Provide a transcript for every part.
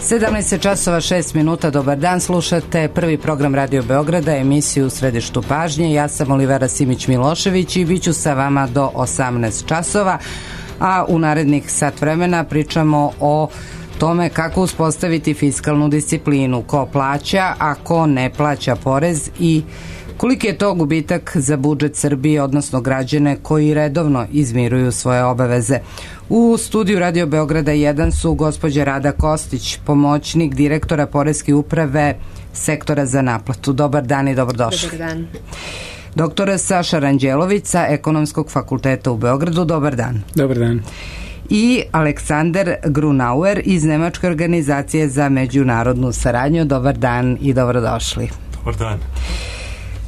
17 časova 6 minuta, dobar dan, slušate prvi program Radio Beograda, emisiju U središtu pažnje. Ja sam Olivera Simić-Milošević i bit ću sa vama do 18 časova, a u narednih sat vremena pričamo o tome kako uspostaviti fiskalnu disciplinu, ko plaća, a ko ne plaća porez i koliki je to gubitak za budžet Srbije, odnosno građane koji redovno izmiruju svoje obaveze. U studiju Radio Beograda 1 su gospođa Rada Kostić, pomoćnik direktora Poreske uprave sektora za naplatu. Dobar dan i dobrodošli. Dobar dan. Doktor Saša Ranđelović sa Ekonomskog fakulteta u Beogradu. Dobar dan. Dobar dan. I Aleksander Grunauer iz Nemačke organizacije za međunarodnu saradnju. Dobar dan i dobrodošli. Dobar dan.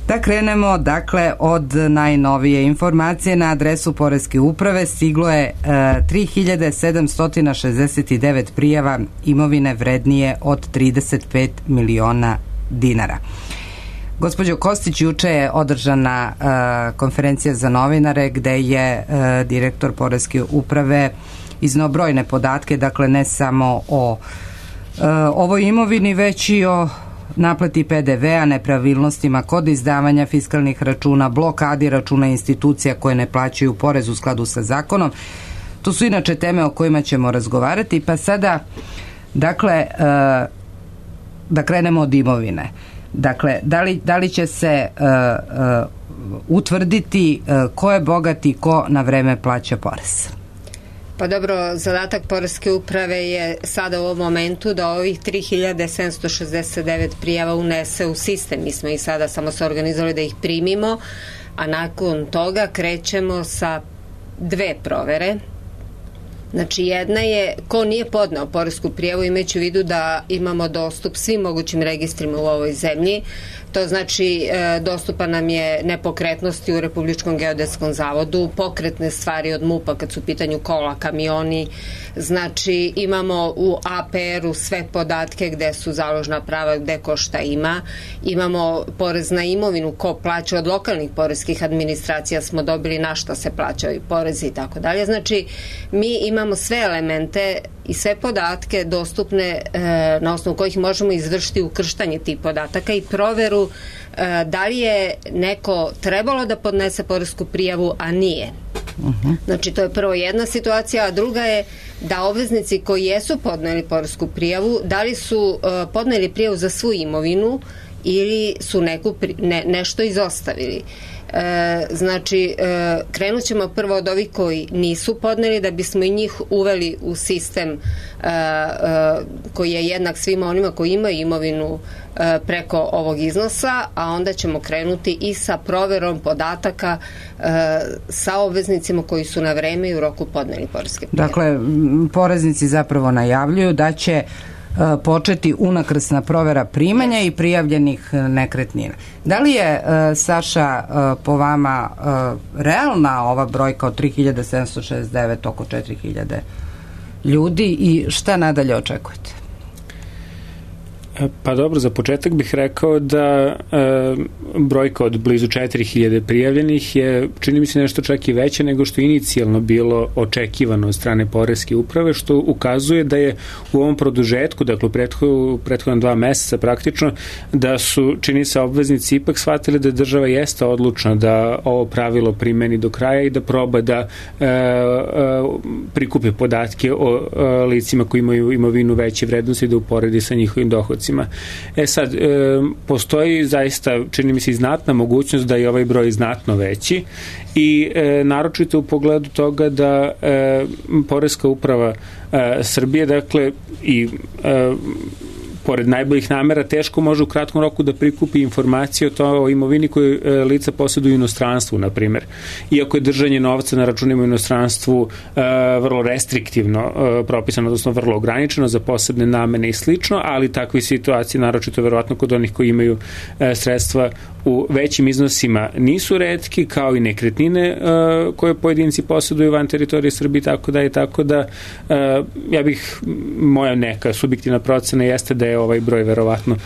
Da krenemo, dakle, od najnovije informacije. Na adresu Poreske uprave stiglo je 3769 prijava imovine vrednije od 35 miliona dinara. Gospođo Kostić, juče je održana konferencija za novinare gde je direktor Poreske uprave izneo brojne podatke, dakle ne samo o ovoj imovini, već i o naplati PDV-a, nepravilnostima kod izdavanja fiskalnih računa, blokadi računa institucija koje ne plaćaju porez u skladu sa zakonom. To su inače teme o kojima ćemo razgovarati, pa sada, dakle, da krenemo od imovine. Dakle, da li će se utvrditi ko je bogat i ko na vreme plaća porez? Pa dobro, zadatak Poreske uprave je sada u ovom momentu da ovih 3769 prijava unese u sistem. Mi smo ih sada samo se organizovali da ih primimo, a nakon toga krećemo sa dve provere. Znači, jedna je ko nije podneo poresku prijavu, imajući u vidu da imamo dostup svim mogućim registrima u ovoj zemlji. To znači dostupa nam je nepokretnosti u Republičkom geodetskom zavodu, pokretne stvari od MUP-a kad su u pitanju kola, kamioni, znači imamo u APR-u sve podatke gde su založna prava, gde ko šta ima, imamo porez na imovinu, ko plaća od lokalnih poreskih administracija, smo dobili na šta se plaćaju porezi i tako dalje. Znači, mi imamo sve elemente i sve podatke dostupne na osnovu kojih možemo izvršiti ukrštanje tih podataka i proveru da li je neko trebalo da podnese poresku prijavu, a nije. Znači, to je prvo jedna situacija, a druga je da obveznici koji jesu podneli poresku prijavu, da li su podneli prijavu za svu imovinu ili su nešto izostavili. Znači, krenut ćemo prvo od ovih koji nisu podneli da bismo i njih uveli u sistem koji je jednak svima onima koji imaju imovinu preko ovog iznosa, a onda ćemo krenuti i sa proverom podataka sa obveznicima koji su na vreme i u roku podneli poreske prijave. Dakle, poreznici zapravo najavljuju da će početi unakrsna provera primanja i prijavljenih nekretnina. Da li je, Saša, po vama realna ova brojka od 3769, oko 4000 ljudi i šta nadalje očekujete? Pa dobro, za početak bih rekao da brojka od blizu 4000 prijavljenih je, čini mi se, nešto čak i veće nego što je inicijalno bilo očekivano od strane Poreske uprave, što ukazuje da je u ovom produžetku, dakle u prethodna 2 meseca praktično, da su, čini se, obveznici ipak shvatili da država jeste odlučna da ovo pravilo primeni do kraja i da proba da prikupi podatke o licima koji imaju imovinu veće vrednosti i da uporedi sa njihovim dohodcima. Sad, postoji zaista, čini mi se, i znatna mogućnost da je ovaj broj znatno veći i naročito u pogledu toga da Poreska uprava Srbije, dakle, i pored najboljih namera, teško može u kratkom roku da prikupi informacije o imovini koju lica posjeduju u inostranstvu, na primjer. Iako je držanje novca na računima u inostranstvu vrlo restriktivno propisano, odnosno vrlo ograničeno za posebne namene i slično, ali takve situacije, naročito verovatno kod onih koji imaju sredstva u većim iznosima, nisu retki, kao i nekretnine koje pojedinci posjeduju van teritorije Srbije, tako da ja bih, moja neka subjektivna procena jeste da je ovaj broj verovatno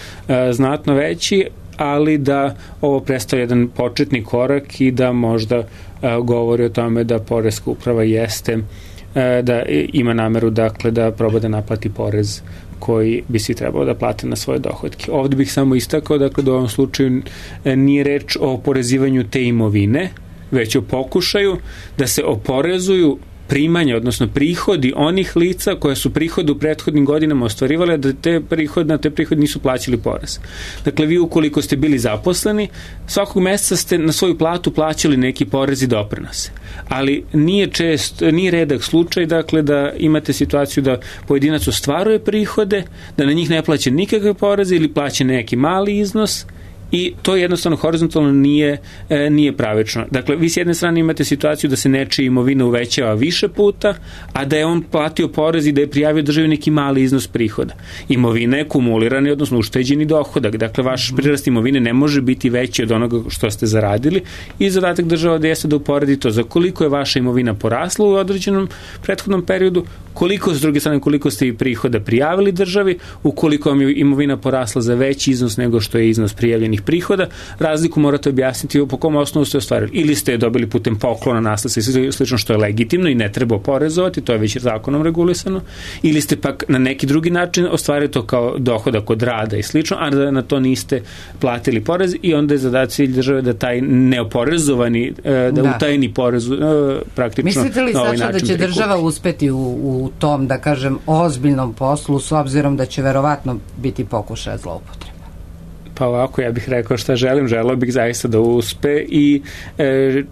znatno veći, ali da ovo predstavlja jedan početni korak i da možda govori o tome da Poreska uprava jeste da ima nameru, dakle, da proba da naplati porez koji bi svi trebalo da plate na svoje dohodke. Ovde bih samo istakao, dakle, da u ovom slučaju nije reč o oporezivanju te imovine, već o pokušaju da se oporezuju primanja, odnosno prihodi onih lica koja su prihode u prethodnim godinama ostvarivale, da na te prihode nisu plaćali porez. Dakle, vi ukoliko ste bili zaposleni, svakog meseca ste na svoju platu plaćali neki porez i doprinose. Ali nije redak slučaj, dakle, da imate situaciju da pojedinac ostvaruje prihode, da na njih ne plaća nikakve poreze ili plaća neki mali iznos, i to jednostavno horizontalno nije pravično. Dakle, vi s jedne strane imate situaciju da se nečija imovina uvećava više puta, a da je on platio porez i da je prijavio državi neki mali iznos prihoda. Imovina je kumulirani, odnosno ušteđeni dohodak. Dakle, vaš prirast imovine ne može biti veći od onoga što ste zaradili i zadatak država da jeste da uporedi to za koliko je vaša imovina porasla u određenom prethodnom periodu, koliko s druge strane, koliko ste i prihoda prijavili državi, ukoliko vam je imovina porasla za veći iznos nego što je iznos prijavljenih prihoda, razliku morate objasniti po kom osnovu ste ostvarili. Ili ste dobili putem poklona, nasljedstva i slično, što je legitimno i ne treba oporezovati, to je već zakonom regulisano, ili ste pak na neki drugi način ostvarili to kao dohodak od rada i slično, a da na to niste platili porez, i onda je zadatak cilj države da taj neoporezovani, da utajni porez praktično. Mislite li, Saša, da će država uspeti u tom, da kažem, ozbiljnom poslu, s obzirom da će verovatno biti pokušaja zloupotrebe? Pa ovako, ja bih rekao šta želeo bih zaista da uspe i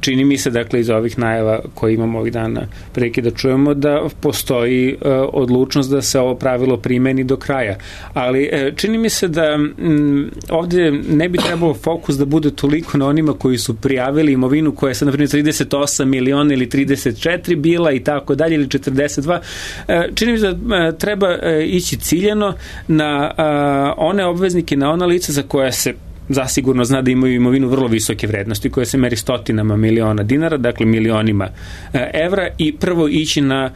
čini mi se, dakle, iz ovih najava koje imamo ovih dana prilike da čujemo, da postoji odlučnost da se ovo pravilo primeni do kraja. Ali čini mi se da ovdje ne bi trebalo fokus da bude toliko na onima koji su prijavili imovinu koja je sad, na primjer, 38 miliona ili 34 bila i tako dalje, ili 42. Čini mi se da treba ići ciljeno na one obveznike, na ona lica za koja se zasigurno zna da imaju imovinu vrlo visoke vrednosti, koja se meri stotinama miliona dinara, dakle milionima evra, i prvo ići na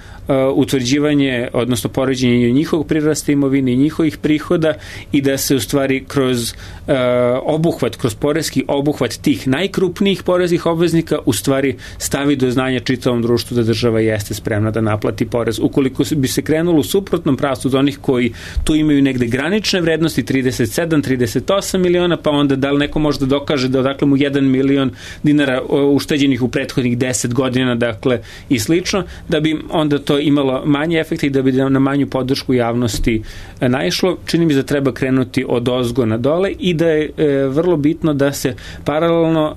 utvrđivanje, odnosno poređenje njihovog prirasta imovine i njihovih prihoda, i da se u stvari kroz kroz poreski obuhvat tih najkrupnijih poreskih obveznika u stvari stavi do znanja čitavom društvu da država jeste spremna da naplati porez. Ukoliko bi se krenulo u suprotnom pravcu od onih koji tu imaju negde granične vrednosti 37, 38 miliona, pa onda da li neko može da dokaže da odakle mu 1 milion dinara ušteđenih u prethodnih 10 godina, dakle, i slično, da bi onda to imalo manje efekta i da bi na manju podršku javnosti naišlo. Čini mi da treba krenuti od ozgo na dole i da je vrlo bitno da se paralelno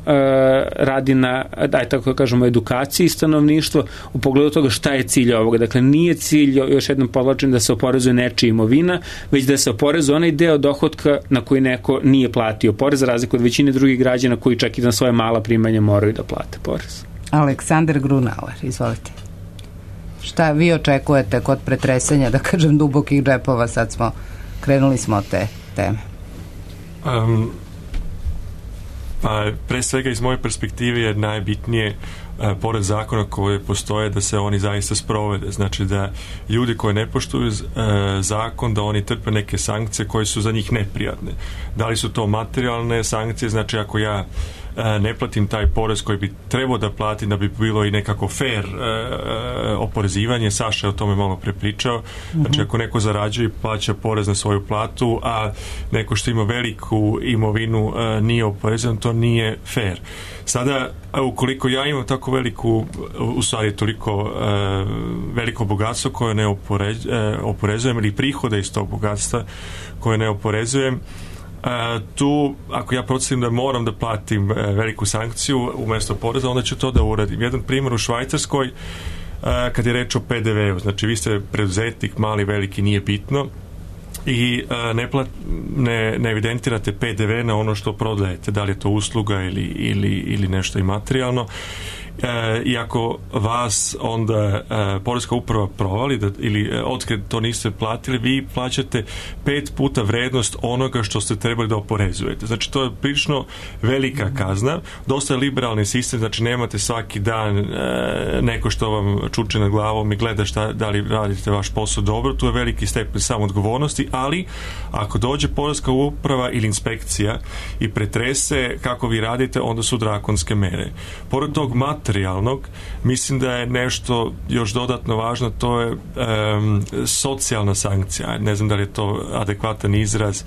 radi na, tako kažemo, edukaciji stanovništva u pogledu toga šta je cilj ovoga. Dakle, nije cilj, još jednom podvlačim, da se oporezuje nečija imovina, već da se oporezuje onaj deo dohotka na koji neko nije platio porez, za razliku od većine drugih građana koji čak i na svoje mala primanja moraju da plate porez. Aleksandar Grunauer, izvolite. Šta vi očekujete kod pretresanja, da kažem, dubokih džepova? Sad krenuli smo od te teme. Pa, pre svega iz moje perspektive je najbitnije, pored zakona koje postoje, da se oni zaista sprovede. Znači da ljudi koji ne poštuju zakon, da oni trpe neke sankcije koje su za njih neprijatne. Da li su to materijalne sankcije, znači ako ja ne platim taj porez koji bi trebao da platim, da bi bilo i nekako fair oporezivanje. Saša je o tome malo prepričao. Znači ako neko zarađuje i plaća porez na svoju platu, a neko što ima veliku imovinu nije oporezivan, to nije fair. Sada, ukoliko ja imam tako u stvari toliko veliko bogatstvo koje ne oporezujem, ili prihode iz tog bogatstva koje ne oporezujem, tu, ako ja procenim da moram da platim veliku sankciju umjesto poreza, onda ću to da uradim. Jedan primjer u Švajcarskoj, kad je reč o PDV-u, znači vi ste preduzetnik, mali, veliki, nije bitno, i ne evidentirate PDV na ono što prodajete, da li je to usluga ili nešto imaterijalno. I ako vas onda poreska uprava provali ili otkad to niste platili, vi plaćate 5 puta vrednost onoga što ste trebali da oporezujete. Znači to je prilično velika kazna, dosta je liberalni sistem, znači nemate svaki dan neko što vam čuče nad glavom i gleda da li radite vaš posao dobro, tu je veliki stepen samoodgovornosti, ali ako dođe poreska uprava ili inspekcija i pretrese kako vi radite, onda su drakonske mere. Pored tog materijalnog, mislim da je nešto još dodatno važno, to je socijalna sankcija. Ne znam da li je to adekvatan izraz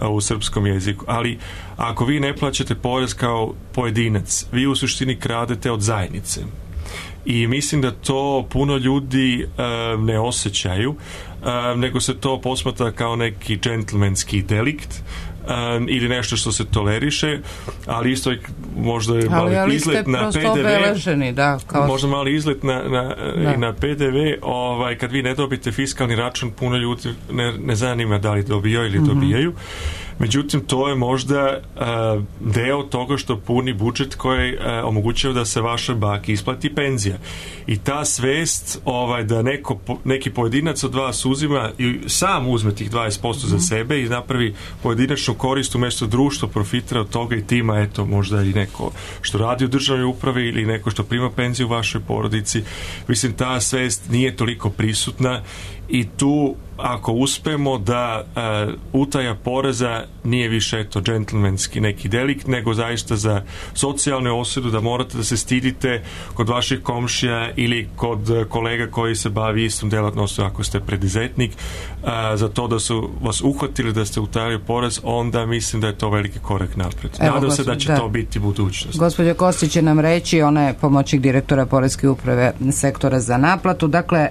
u srpskom jeziku, ali ako vi ne plaćate porez kao pojedinac, vi u suštini kradete od zajednice. I mislim da to puno ljudi ne osjećaju, nego se to posmatra kao neki džentlmenski delikt, ili nešto što se toleriše, ali isto možda je mali izlet na PDV, da, kao... možda mali izlet na PDV, kad vi ne dobijete fiskalni račun, puno ljudi ne zanima da li dobijaju ili dobijaju. Međutim, to je možda deo toga što puni budžet koji omogućava da se vašoj baki isplati penzija. I ta svest da neki pojedinac od vas uzima i sam uzme tih 20% za sebe i napravi pojedinačnu korist umjesto društva profitira od toga i tima, eto, možda i neko što radi u državnoj upravi ili neko što prima penziju u vašoj porodici. Mislim, ta svest nije toliko prisutna i tu ako uspemo da utaja poreza nije više eto džentlmenski neki delikt, nego zaista za socijalnu osudu, da morate da se stidite kod vaših komšija ili kod kolega koji se bavi istom delatnostom ako ste preduzetnik, za to da su vas uhvatili da ste utajali porez, onda mislim da je to veliki korak napred. Nadam se da će to biti budućnost. Gospođa Kostić će nam reći, ona je pomoćnik direktora Poreske uprave sektora za naplatu, dakle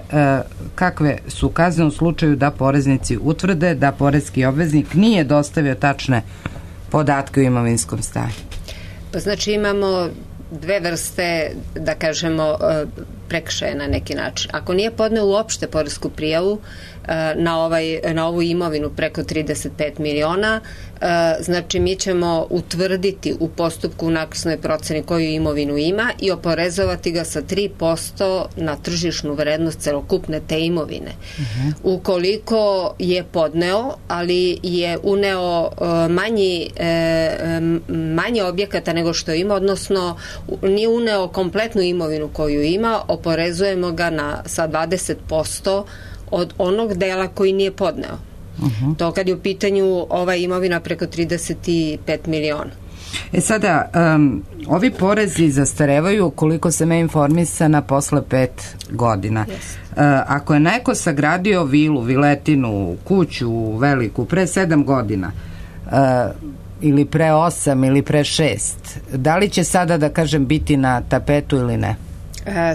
kakve su kazne u slučaju da poreznici utvrde da poreski obveznik nije dostavio tačne podatke o imovinskom stanju? Pa znači imamo dve vrste, da kažemo, prekršaja na neki način. Ako nije podneo uopšte poresku prijavu na ovu imovinu preko 35 miliona, znači mi ćemo utvrditi u postupku u naknadnoj proceni koju imovinu ima i oporezovati ga sa 3% na tržišnu vrednost celokupne te imovine. Ukoliko je podneo, ali je uneo manje objekata nego što ima, odnosno nije uneo kompletnu imovinu koju ima, oporezujemo ga sa 20% od onog dela koji nije podneo. To kad je u pitanju ova imovina preko 35 miliona. Sada, ovi porezi zastarevaju, koliko sam ja informisana, posle 5 godina. Ako je neko sagradio vilu, viletinu, kuću veliku pre 7 godina, ili pre 8 ili pre 6, da li će sada, da kažem, biti na tapetu ili ne?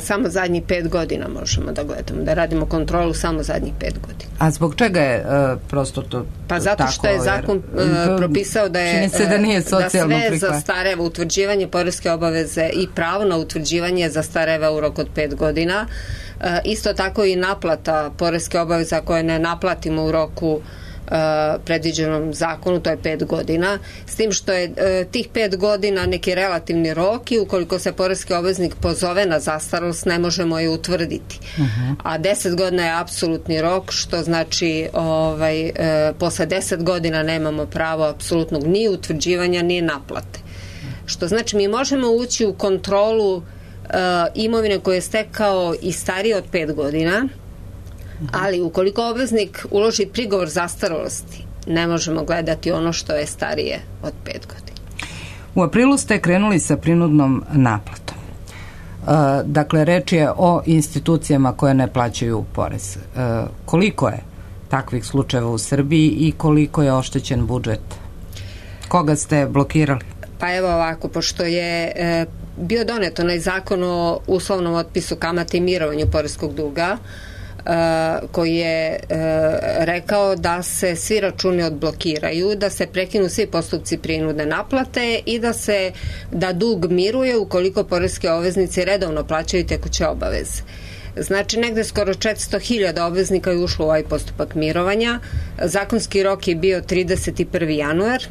Samo zadnjih 5 godina možemo da gledamo, da radimo kontrolu samo zadnjih 5 godina. A zbog čega je prosto to Pa zato tako, što je zakon propisao da je da sve zastareva, utvrđivanje poreske obaveze i pravo na utvrđivanje zastareva u roku od 5 godina. Isto tako i naplata poreske obaveze koje ne naplatimo u roku predviđenom zakonu, to je 5 godina, s tim što je tih 5 godina neki relativni rok i ukoliko se poreski obveznik pozove na zastarost, ne možemo je utvrditi. A 10 godina je apsolutni rok, što znači posle 10 godina nemamo pravo apsolutnog ni utvrđivanja, ni naplate. Što znači mi možemo ući u kontrolu imovine koje je stekao i starije od 5 godina, ali ukoliko obveznik uloži prigovor zastarosti, ne možemo gledati ono što je starije od 5 godina. U aprilu ste krenuli sa prinudnom naplatom. Dakle, reč je o institucijama koje ne plaćaju porez. Koliko je takvih slučajeva u Srbiji i koliko je oštećen budžet? Koga ste blokirali? Pa evo ovako, pošto je bio donet onaj zakon o uslovnom otpisu kamate i mirovanju poreskog duga, koji je rekao da se svi računi odblokiraju, da se prekinu svi postupci prinudne naplate i da dug miruje ukoliko poreske obveznici redovno plaćaju tekuće obaveze. Znači, negde skoro 400.000 obveznika je ušlo u ovaj postupak mirovanja. Zakonski rok je bio 31. januar,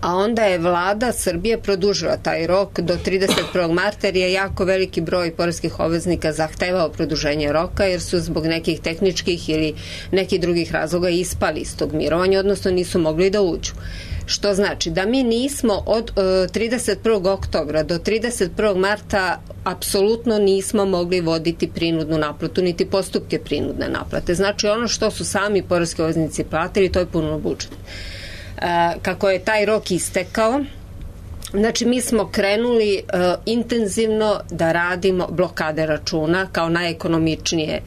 a onda je vlada Srbije produžila taj rok do 31. marta jer je jako veliki broj poreskih obveznika zahtevao produženje roka jer su zbog nekih tehničkih ili nekih drugih razloga ispali iz tog mirovanja, odnosno nisu mogli da uđu. Što znači da mi nismo od 31. oktobra do 31. marta apsolutno nismo mogli voditi prinudnu naplatu, niti postupke prinudne naplate. Znači ono što su sami poreski obveznici platili, to je puno budžet. Kako je taj rok istekao, Znači, mi smo krenuli intenzivno da radimo blokade računa kao najekonomičnije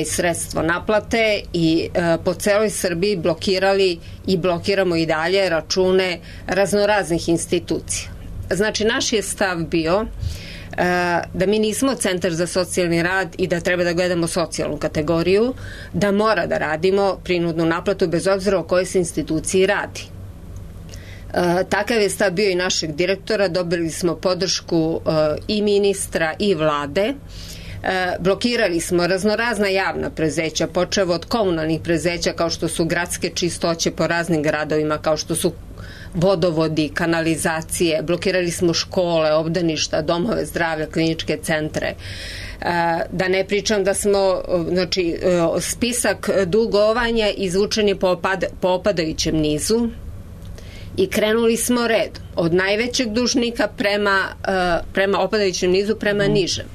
sredstvo naplate i po celoj Srbiji blokirali i blokiramo i dalje račune raznoraznih institucija. Znači, naš je stav bio da mi nismo centar za socijalni rad i da treba da gledamo socijalnu kategoriju, da mora da radimo prinudnu naplatu bez obzira o kojoj se instituciji radi. Takav je stav bio i našeg direktora, dobili smo podršku i ministra i vlade, blokirali smo raznorazna javna preduzeća, počev od komunalnih preduzeća kao što su gradske čistoće po raznim gradovima, kao što su vodovodi, kanalizacije, blokirali smo škole, obdaništa, domove zdravlja, kliničke centre. Da ne pričam da smo, znači, spisak dugovanja izvučen je po opadajućem nizu i krenuli smo red od najvećeg dužnika prema opadajućem nizu prema nižem.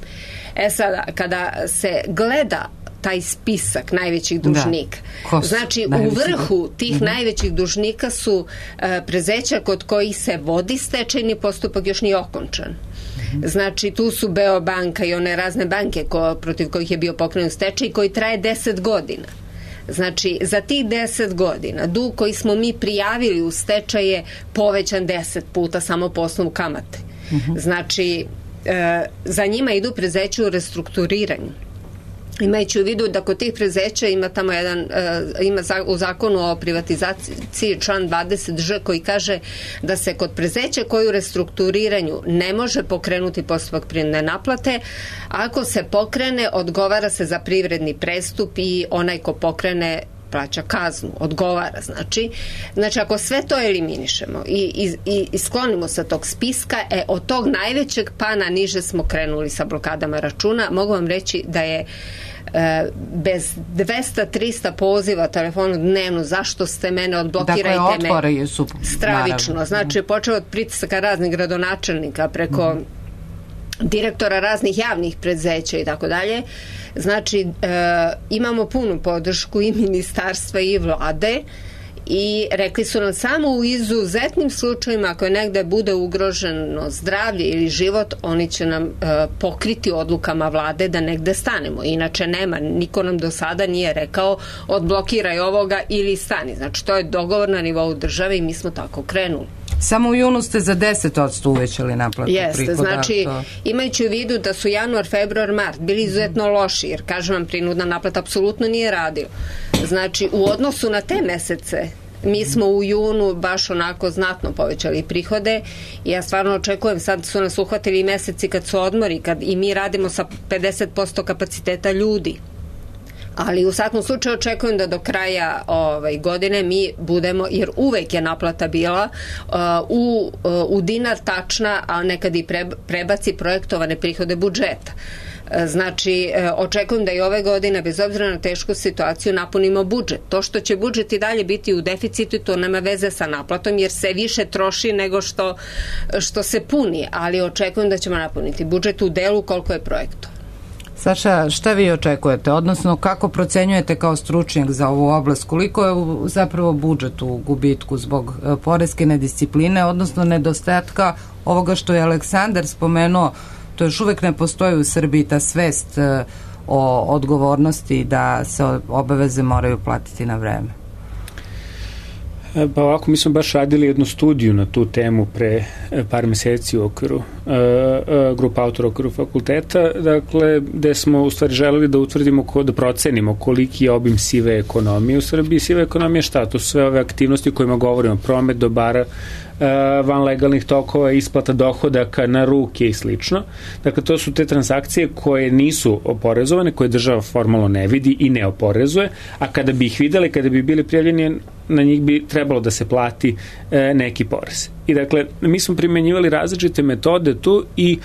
Sada, kada se gleda taj spisak najvećih dužnika, znači u vrhu tih najvećih dužnika su preduzeća kod kojih se vodi stečajni postupak, još nije okončan. Znači, tu su Beobanka i one razne banke protiv kojih je bio pokrenut stečaj koji traje 10 godina. Znači, za tih 10 godina dug koji smo mi prijavili u stečaj je povećan 10 puta samo po osnovu kamate. Znači, za njima idu preduzeća u restrukturiranju. Imajući u vidu da kod tih preduzeća ima tamo ima u zakonu o privatizaciji član 20Ž koji kaže da se kod preduzeća koji u restrukturiranju ne može pokrenuti postupak prinudne naplate, ako se pokrene, odgovara se za privredni prestup i onaj ko pokrene plaća kaznu, odgovara. Znači ako sve to eliminišemo i sklonimo sa tog spiska, od tog najvećeg pa na niže smo krenuli sa blokadama računa. Mogu vam reći da je bez 200-300 poziva telefonu dnevno, zašto ste mene, odblokirajte me. Stravično. Znači, počeo od pritisaka raznih gradonačelnika preko direktora raznih javnih preduzeća i tako dalje. Znači, imamo punu podršku i ministarstva i vlade i rekli su nam samo u izuzetnim slučajima, ako je negde bude ugroženo zdravlje ili život, oni će nam pokriti odlukama vlade da negde stanemo. Inače nema, niko nam do sada nije rekao odblokiraj ovoga ili stani. Znači, to je dogovor na nivou države i mi smo tako krenuli. Samo u junu ste za 10% uvećali naplatu prihoda. Jeste, znači imajući u vidu da su januar, februar, mart bili izuzetno loši, jer kažem vam, prinudna naplata apsolutno nije radila. Znači, u odnosu na te mesece mi smo u junu baš onako znatno povećali prihode i ja stvarno očekujem, sad su nas uhvatili i meseci kad su odmori, kad i mi radimo sa 50% kapaciteta ljudi. Ali u svakom slučaju očekujem da do kraja godine mi budemo, jer uvek je naplata bila u dinar tačna, a nekad i prebaci projektovane prihode budžeta. Znači, očekujem da i ove godine, bez obzira na tešku situaciju, napunimo budžet. To što će budžet i dalje biti u deficitu, to nema veze sa naplatom, jer se više troši nego što se puni, ali očekujem da ćemo napuniti budžet u delu koliko je projektov. Saša, šta vi očekujete? Odnosno, kako procenjujete kao stručnjak za ovu oblast? Koliko je zapravo budžet u gubitku zbog poreske nediscipline, odnosno nedostatka ovoga što je Aleksandar spomenuo, to još uvek ne postoji u Srbiji, ta svest o odgovornosti da se obaveze moraju platiti na vreme? Pa ovako, mi smo baš radili jednu studiju na tu temu pre par meseci u okviru grupa autora u okviru fakulteta, dakle, gde smo u stvari želeli da utvrdimo, da procenimo koliki je obim sive ekonomije u Srbiji. Siva ekonomija šta? To su sve ove aktivnosti o kojima govorimo, promet dobara, van legalnih tokova, isplata dohodaka na ruke i slično. Dakle, to su te transakcije koje nisu oporezovane, koje država formalno ne vidi i ne oporezuje, a kada bi ih videli, kada bi bili prijavljeni, na njih bi trebalo da se plati neki porez. I dakle, mi smo primenjivali različite metode tu i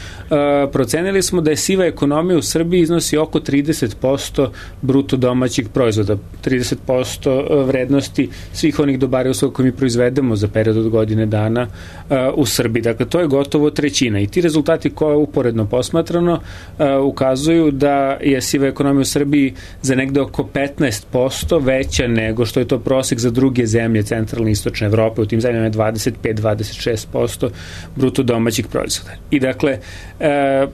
procenili smo da je siva ekonomija u Srbiji iznosi oko 30% bruto domaćih proizvoda, 30% vrednosti svih onih dobara i usluga koje mi proizvedemo za period od godine dana u Srbiji. Dakle, to je gotovo trećina i ti rezultati koje uporedno posmatrano ukazuju da je siva ekonomija u Srbiji za negde oko 15% veća nego što je to prosek za druge zemlje centralne i istočne Evrope, u tim zemljama je 25-26%. 26% bruto domaćih proizvoda. I dakle,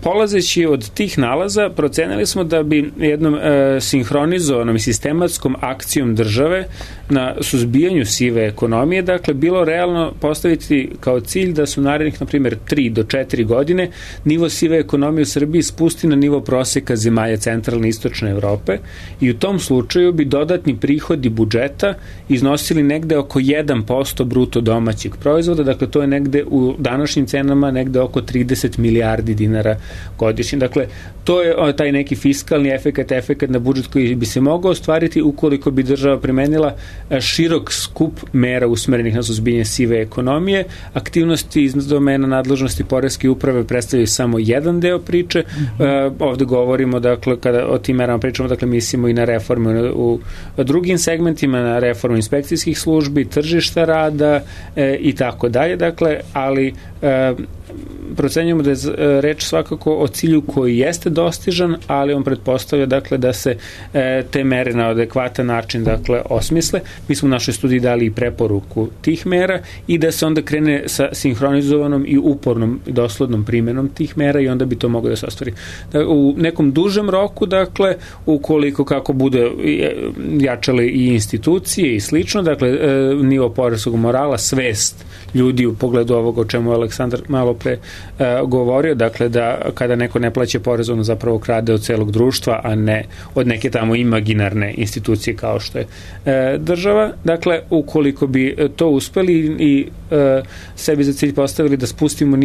polazeći od tih nalaza, procenili smo da bi jednom sinhronizovanom i sistematskom akcijom države na suzbijanju sive ekonomije, dakle, bilo realno postaviti kao cilj da su narednih, na primjer, 3 do 4 godine nivo sive ekonomije u Srbiji spusti na nivo proseka zemalja centralne i istočne Evrope i u tom slučaju bi dodatni prihodi budžeta iznosili negde oko 1% bruto domaćeg proizvoda, dakle, to je negde u današnjim cenama negde oko 30 milijardi dinara godišnje. Dakle, to je taj neki fiskalni efekat na budžet koji bi se mogao ostvariti ukoliko bi država primenila širok skup mera usmerenih na suzbijanje sive ekonomije. Aktivnosti iz domena nadležnosti poreske uprave predstavljaju samo jedan deo priče. Ovde govorimo, dakle, kada o tim merama pričamo, dakle, mislimo i na reforme u drugim segmentima, na reformu inspekcijskih službi, tržišta rada i tako dalje, dakle, ali procenjujemo da je reč svakako o cilju koji jeste dostižan, ali on pretpostavlja, dakle, da se te mere na adekvatan način, dakle, osmisle. Mi smo u našoj studiji dali i preporuku tih mera i da se onda krene sa sinhronizovanom i upornom i doslednom primenom tih mera i onda bi to moglo da se ostvari. U nekom dužem roku, dakle, ukoliko kako bude jačale i institucije i slično, dakle, nivo poreskog morala, svest ljudi u pogledu ovoga o čemu je Aleksandar malo pre govorio, dakle, da kada neko ne plaća porez, ono zapravo krade od celog društva, a ne od neke tamo imaginarne institucije kao što je država. Dakle, ukoliko bi to uspeli i sebi za cilj postavili da spustimo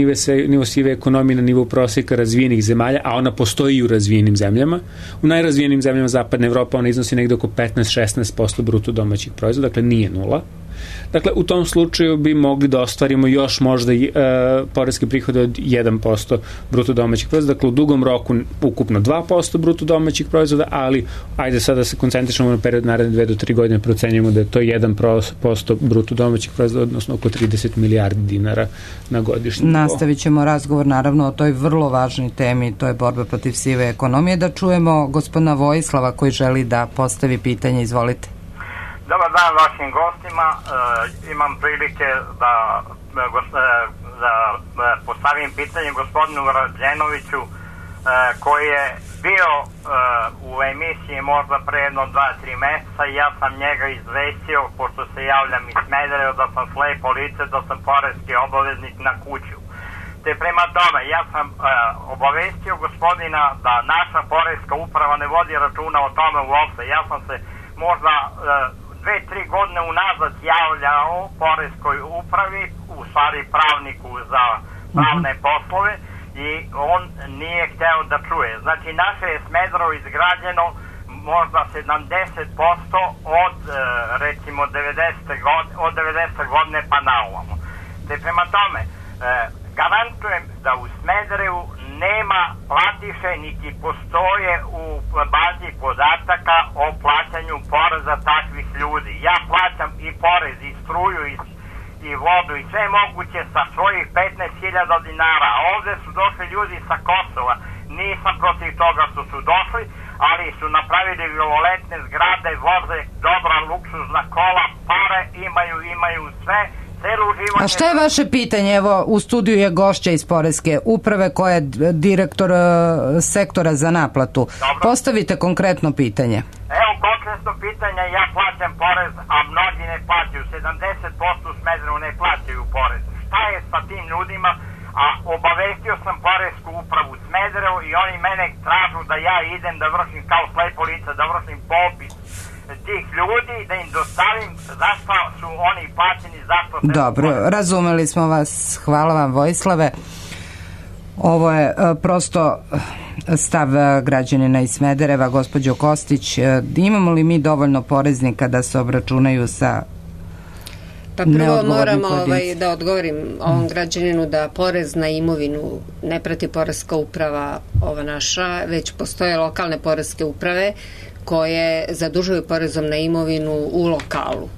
nivo sive ekonomije na nivo proseka razvijenih zemalja, a ona postoji i u razvijenim zemljama. U najrazvijenim zemljama Zapadne Evrope ona iznosi negde oko 15-16% bruto domaćih proizvoda, dakle nije nula. Dakle, u tom slučaju bi mogli da ostvarimo još možda poreske prihode od 1% bruto domaćih proizvoda, dakle u dugom roku ukupno 2% bruto domaćih proizvoda, ali ajde sada se koncentrišemo na period naredne 2 do 3 godine, procenjujemo da je to 1% bruto domaćih proizvoda, odnosno oko 30 milijardi dinara na godišnjem. Nastavit ćemo razgovor naravno o toj vrlo važnoj temi, to je borba protiv sive ekonomije. Da čujemo gospodina Vojislava koji želi da postavi pitanje, izvolite. Dobar dan vašim gostima. Imam prilike da postavim pitanje gospodinu Rađenoviću koji je bio u emisiji možda pre jedno 2-3 meseca i ja sam njega izvestio, pošto se javljam iz Smedereva, da sam slepo lice, da sam poreski obaveznik na kuću. Te prema tome, ja sam obavestio gospodina da naša poreska uprava ne vodi računa o tome uopšte. Ja sam se možda 2-3 godine unazad javljao poreskoj upravi, u stvari pravniku za pravne poslove, i on nije hteo da čuje. Znači, naše je Smederevo izgrađeno možda 70% od recimo 90. godine pa na ovamo. Te prema tome, garantujem da u Smederevu nema platiše, niti postoje u bazi podataka o plaćanju poreza takvih ljudi. Ja plaćam i porez, i struju, i vodu, i sve moguće sa svojih 15.000 dinara. A ovde su došli ljudi sa Kosova. Nisam protiv toga što su došli, ali su napravili violetne zgrade, voze dobra luksuzna kola, pare imaju sve. A šta je vaše pitanje? Evo, u studiju je gošća iz Poreske uprave koja je direktor sektora za naplatu. Dobro. Postavite konkretno pitanje. Evo, konkretno pitanje, ja plaćam porez, a mnogi ne plaćaju. 70% u Smederevu ne plaćaju porez. Šta je sa tim ljudima? A obavestio sam Poresku upravu Smederevo i oni mene tražu da ja idem da vršim kao slepo lice, da vršim popis tih ljudi, da im dostavim zašto su oni plaćeni, zašto se... Dobro, razumeli smo vas. Hvala vam, Vojislave. Ovo je prosto stav građanina iz Smedereva. Gospođo Kostić, imamo li mi dovoljno poreznika da se obračunaju sa... Pa prvo moramo da odgovorim ovom građaninu da porez na imovinu ne prati poreska uprava ova naša, već postoje lokalne poreske uprave koje zadužuju porezom na imovinu u lokalu.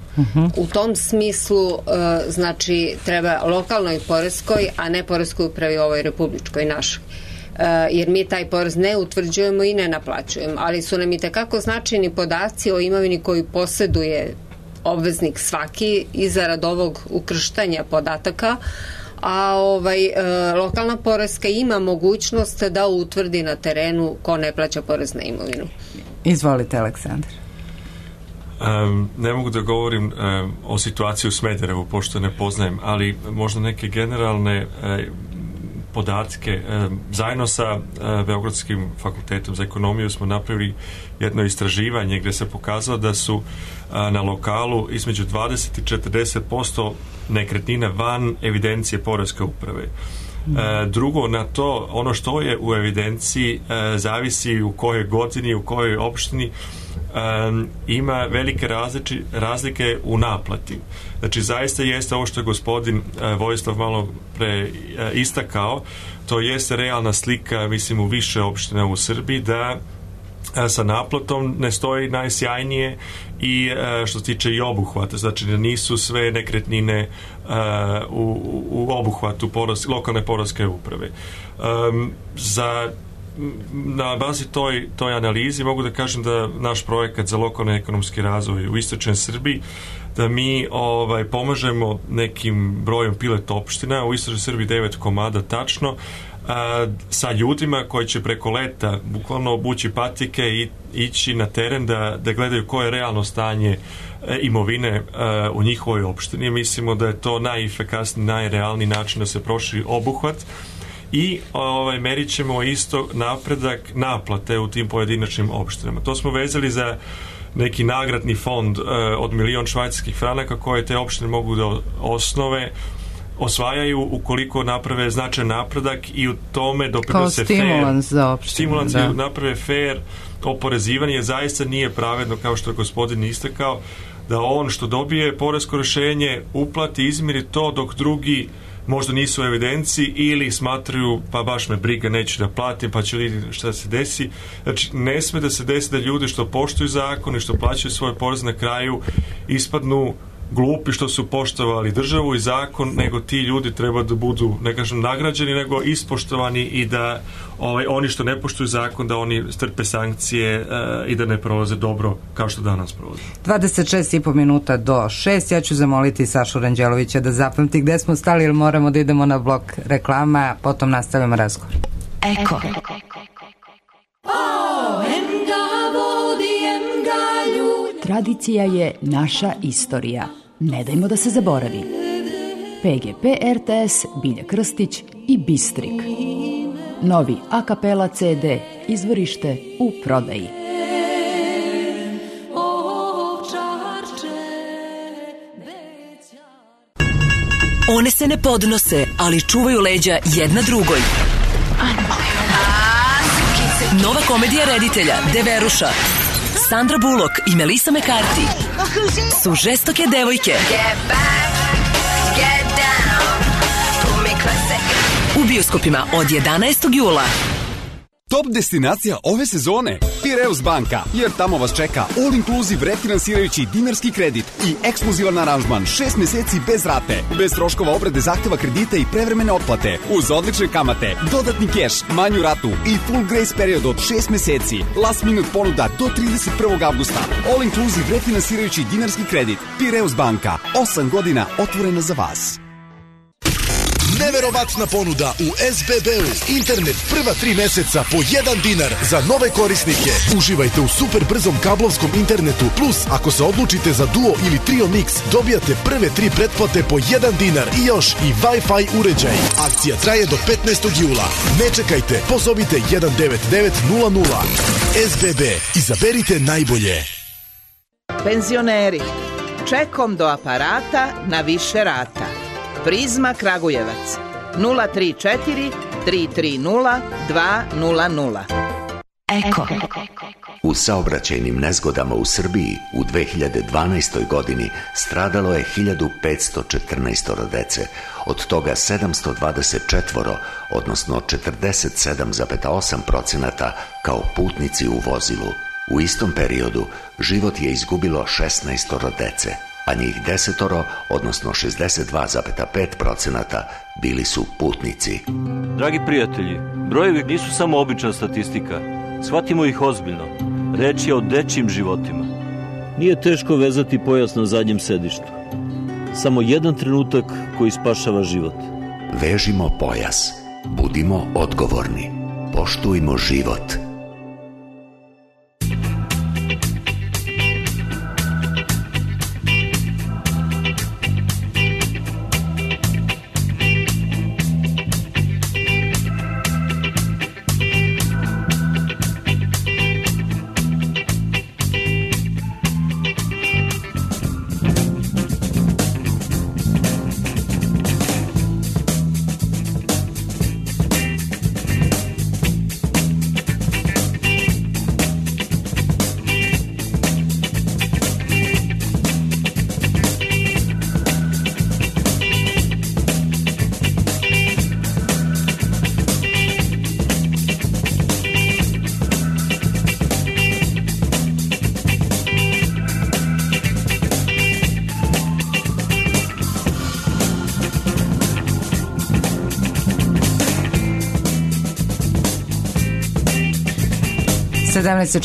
U tom smislu, znači, treba lokalnoj poreskoj, a ne poreskoj upravi ovoj republičkoj našoj. Jer mi taj porez ne utvrđujemo i ne naplaćujemo, ali su nam i tekako značajni podaci o imovini koju poseduje obveznik svaki i zarad ovog ukrštanja podataka, a lokalna poreska ima mogućnost da utvrdi na terenu ko ne plaća porez na imovinu. Izvolite, Aleksandar. Ne mogu da govorim o situaciji u Smederevu, pošto ne poznajem, ali možda neke generalne podatke. Zajedno sa Beogradskim fakultetom za ekonomiju smo napravili jedno istraživanje gdje se pokazalo da su na lokalu između 20 i 40% nekretnina van evidencije poreske uprave. Drugo, na to, ono što je u evidenciji zavisi u kojoj godini, u kojoj opštini, ima velike razlike u naplati. Znači, zaista jeste ovo što je gospodin Vojislav malo pre istakao, to jeste realna slika, mislim, u više opština u Srbiji, da sa naplatom ne stoji najsjajnije i što se tiče i obuhvata, znači da nisu sve nekretnine u obuhvatu lokalne poreske uprave. Na bazi toj analizi mogu da kažem da naš projekat za lokalni ekonomski razvoj u istočnoj Srbiji, da mi pomažemo nekim brojem pilot opština, u istočnoj Srbiji 9 komada tačno, sa ljudima koji će preko leta bukvalno obući patike i ići na teren da gledaju koje je realno stanje imovine u njihovoj opštini. Mislimo da je to najefikasniji, najrealniji način da se proširi obuhvat i merit ćemo isto napredak naplate u tim pojedinačnim opštinama. To smo vezali za neki nagradni fond od 1.000.000 švajcarskih franaka koje te opštine mogu da osvajaju ukoliko naprave značajan napredak i u tome doprinose stimulans i naprave fair oporezivanje. Zaista nije pravedno, kao što je gospodin istakao, da on što dobije poresko rješenje uplati, izmiri to, dok drugi možda nisu u evidenciji ili smatraju pa baš me briga, neću da platim, pa ću vidjeti šta se desi. Znači, ne sme da se desi da ljudi što poštuju zakon i što plaćaju svoj porez na kraju ispadnu glupi što su poštovali državu i zakon, nego ti ljudi treba da budu, ne kažem nagrađeni, nego ispoštovani i da oni što ne poštuju zakon, da oni strpe sankcije i da ne prolaze dobro kao što danas prolaze. 26,5 minuta do 6. Ja ću zamoliti Sašu Ranđelovića da zapamti gde smo stali, jer moramo da idemo na blok reklama, potom nastavimo razgovor. Eko. Tradicija je naša istorija. Ne dajmo da se zaboravi. PGP RTS, Bilja Krstić i Bistrik. Novi a kapela CD, izvorište u prodaji. One se ne podnose, ali čuvaju leđa jedna drugoj. Nova komedija reditelja Deveruša, Sandra Bullock i Melissa McCarthy su žestoke devojke u bioskopima od 11. jula. Top destinacija ove sezone Pireus banka, jer tamo vas čeka all inclusive refinansirajući dinarski kredit i ekskluzivan aranžman 6 meseci bez rate, bez troškova obrade zahteva kredita i prevremene otplate, uz odlične kamate, dodatni keš, manju ratu i full grace period od 6 meseci, last minute ponuda do 31. avgusta. All inclusive refinansirajući dinarski kredit. Pireus banka, 8 godina otvorena za vas. Neverovatna ponuda u SBB-u. Internet prva 3 meseca po 1 dinar za nove korisnike. Uživajte u super brzom kablovskom internetu. Plus, ako se odlučite za Duo ili Trio Mix, dobijate prve 3 pretplate po 1 dinar i još i Wi-Fi uređaj. Akcija traje do 15. jula. Ne čekajte, pozovite 19900. SBB. Izaberite najbolje. Penzioneri. Čekom do aparata na više rata. Prizma Kragujevac 034 330 200. Eko. U saobraćajnim nezgodama u Srbiji u 2012. godini stradalo je 1514 dece, od toga 724, odnosno 47,8% kao putnici u vozilu. U istom periodu život je izgubilo 16 dece, a njih 10, odnosno 62,5% bili su putnici. Dragi prijatelji, brojevi nisu samo obična statistika. Shvatimo ih ozbiljno. Reč je o dečjim životima. Nije teško vezati pojas na zadnjem sedištu. Samo jedan trenutak koji spašava život. Vežimo pojas. Budimo odgovorni. Poštujmo život.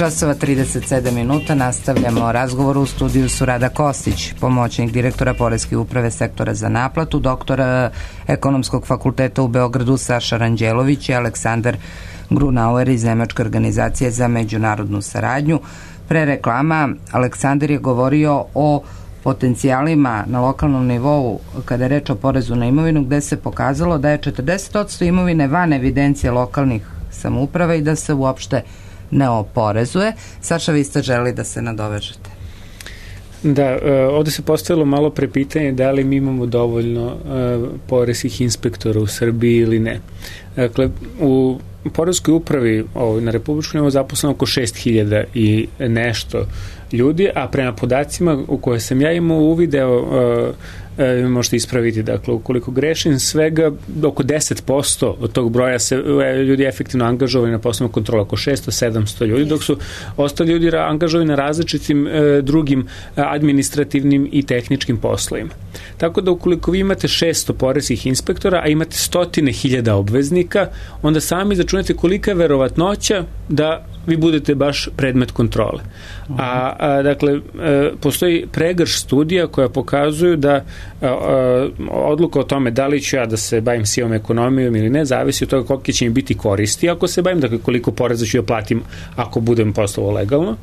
časova 37 minuta. Nastavljamo razgovor. U studiju su Rada Kostić, pomoćnik direktora Poreske uprave sektora za naplatu, doktor Ekonomskog fakulteta u Beogradu Saša Ranđelović i Aleksandar Grunauer iz Nemačke organizacije za međunarodnu saradnju. Pre reklama Aleksandar je govorio o potencijalima na lokalnom nivou kada je reč o porezu na imovinu, gde se pokazalo da je 40% imovine van evidencije lokalnih samouprava i da se uopšte ne oporezuje. Saša, vi ste želi da se nadovežete. Da, ovde se postavilo malo pre pitanje da li mi imamo dovoljno poreskih inspektora u Srbiji ili ne. Dakle, u poreskoj upravi na republičkom nivou zaposleno oko 6.000 i nešto ljudi, a prema podacima u koje sam ja imao uvideo, možete ispraviti, dakle, ukoliko grešim, svega oko 10% od tog broja se ljudi efektivno angažovani na poslovima kontrola, oko 600-700 ljudi, dok su ostali ljudi angažovani na različitim drugim administrativnim i tehničkim poslovima. Tako da ukoliko vi imate 600 poreskih inspektora, a imate 100.000 obveznika, onda sami začunete kolika je verovatnoća da vi budete baš predmet kontrole. Dakle, postoji pregrš studija koja pokazuju da odluka o tome da li ću ja da se bavim sivom ekonomijom ili ne, zavisi od toga kolike će mi biti koristi ako se bavim, dakle koliko poreza ću da platim ako budem poslovao legalno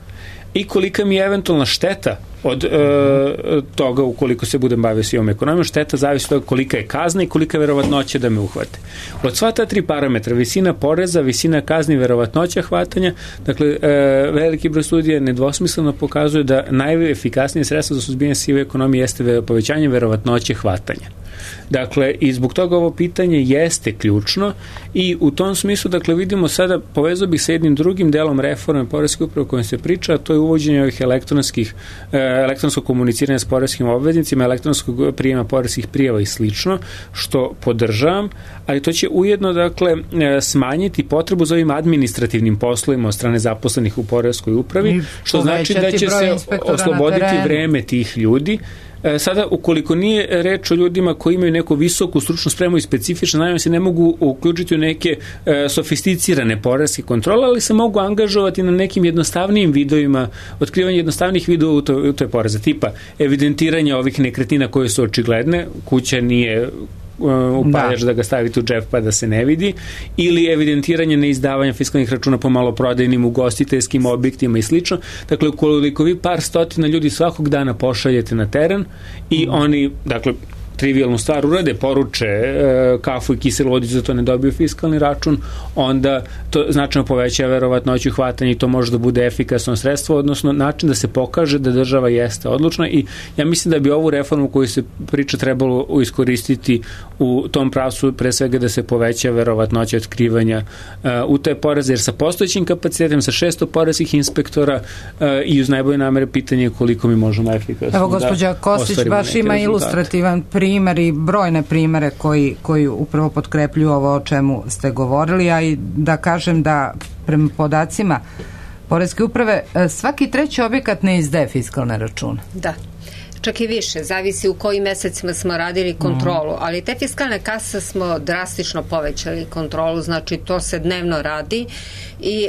i kolika mi je eventualna šteta od toga ukoliko se budem bavio sivom ekonomijom. Šteta zavisi od toga kolika je kazna i kolika je verovatnoća da me uhvate. Od sva ta 3 parametra, visina poreza, visina kazni i verovatnoća hvatanja, dakle, veliki broj studija nedvosmisleno pokazuje da najefikasnije sredstvo za suzbijanje sive ekonomije jeste povećanje verovatnoće hvatanja. Dakle, i zbog toga ovo pitanje jeste ključno i u tom smislu, dakle, vidimo sada, povezao bih sa jednim drugim delom reforme poreske uprave o kojem se priča, a to je uvođenje ovih elektronskog komuniciranja s poreskim obveznicima, elektronskog prijema poreskih prijava i slično, što podržavam, ali to će ujedno, dakle, smanjiti potrebu za ovim administrativnim poslovima od strane zaposlenih u poreskoj upravi, što znači da će se osloboditi vreme tih ljudi. Sada, ukoliko nije reč o ljudima koji imaju neku visoku stručnu spremu i specifične znanje, se ne mogu uključiti u neke sofisticirane poreske kontrole, ali se mogu angažovati na nekim jednostavnijim vidovima, otkrivanje jednostavnih vidova u toj poreza, tipa evidentiranja ovih nekretnina koje su očigledne, kuća nije upaljač da ga stavite u džep pa da se ne vidi, ili evidentiranje neizdavanja fiskalnih računa po maloprodajnim ugostiteljskim objektima i slično. Dakle, ukoliko vi par stotina ljudi svakog dana pošaljete na teren i oni, dakle, trivijalnu stvar urade, poruče kafu i kiselu vodicu za to ne dobiju fiskalni račun, onda to značajno poveća verovatnoću hvatanja i to može da bude efikasno sredstvo, odnosno način da se pokaže da država jeste odlučna i ja mislim da bi ovu reformu koju se priča trebalo iskoristiti u tom pravcu, pre svega da se poveća verovatnoća otkrivanja u te poreze, jer sa postojećim kapacitetom, sa 600 poreskih inspektora i uz najbolje namere pitanje je koliko mi možemo efikasno. Evo, gospođa Kostić baš ima ilustrativan primer i brojne primere koji upravo potkrepljuju ovo o čemu ste govorili, a i da kažem da prema podacima Poreske uprave svaki treći objekat ne izdaje fiskalne račune. Da. čak i više, zavisi u kojim mesecima smo radili kontrolu, ali te fiskalne kase smo drastično povećali kontrolu, znači to se dnevno radi i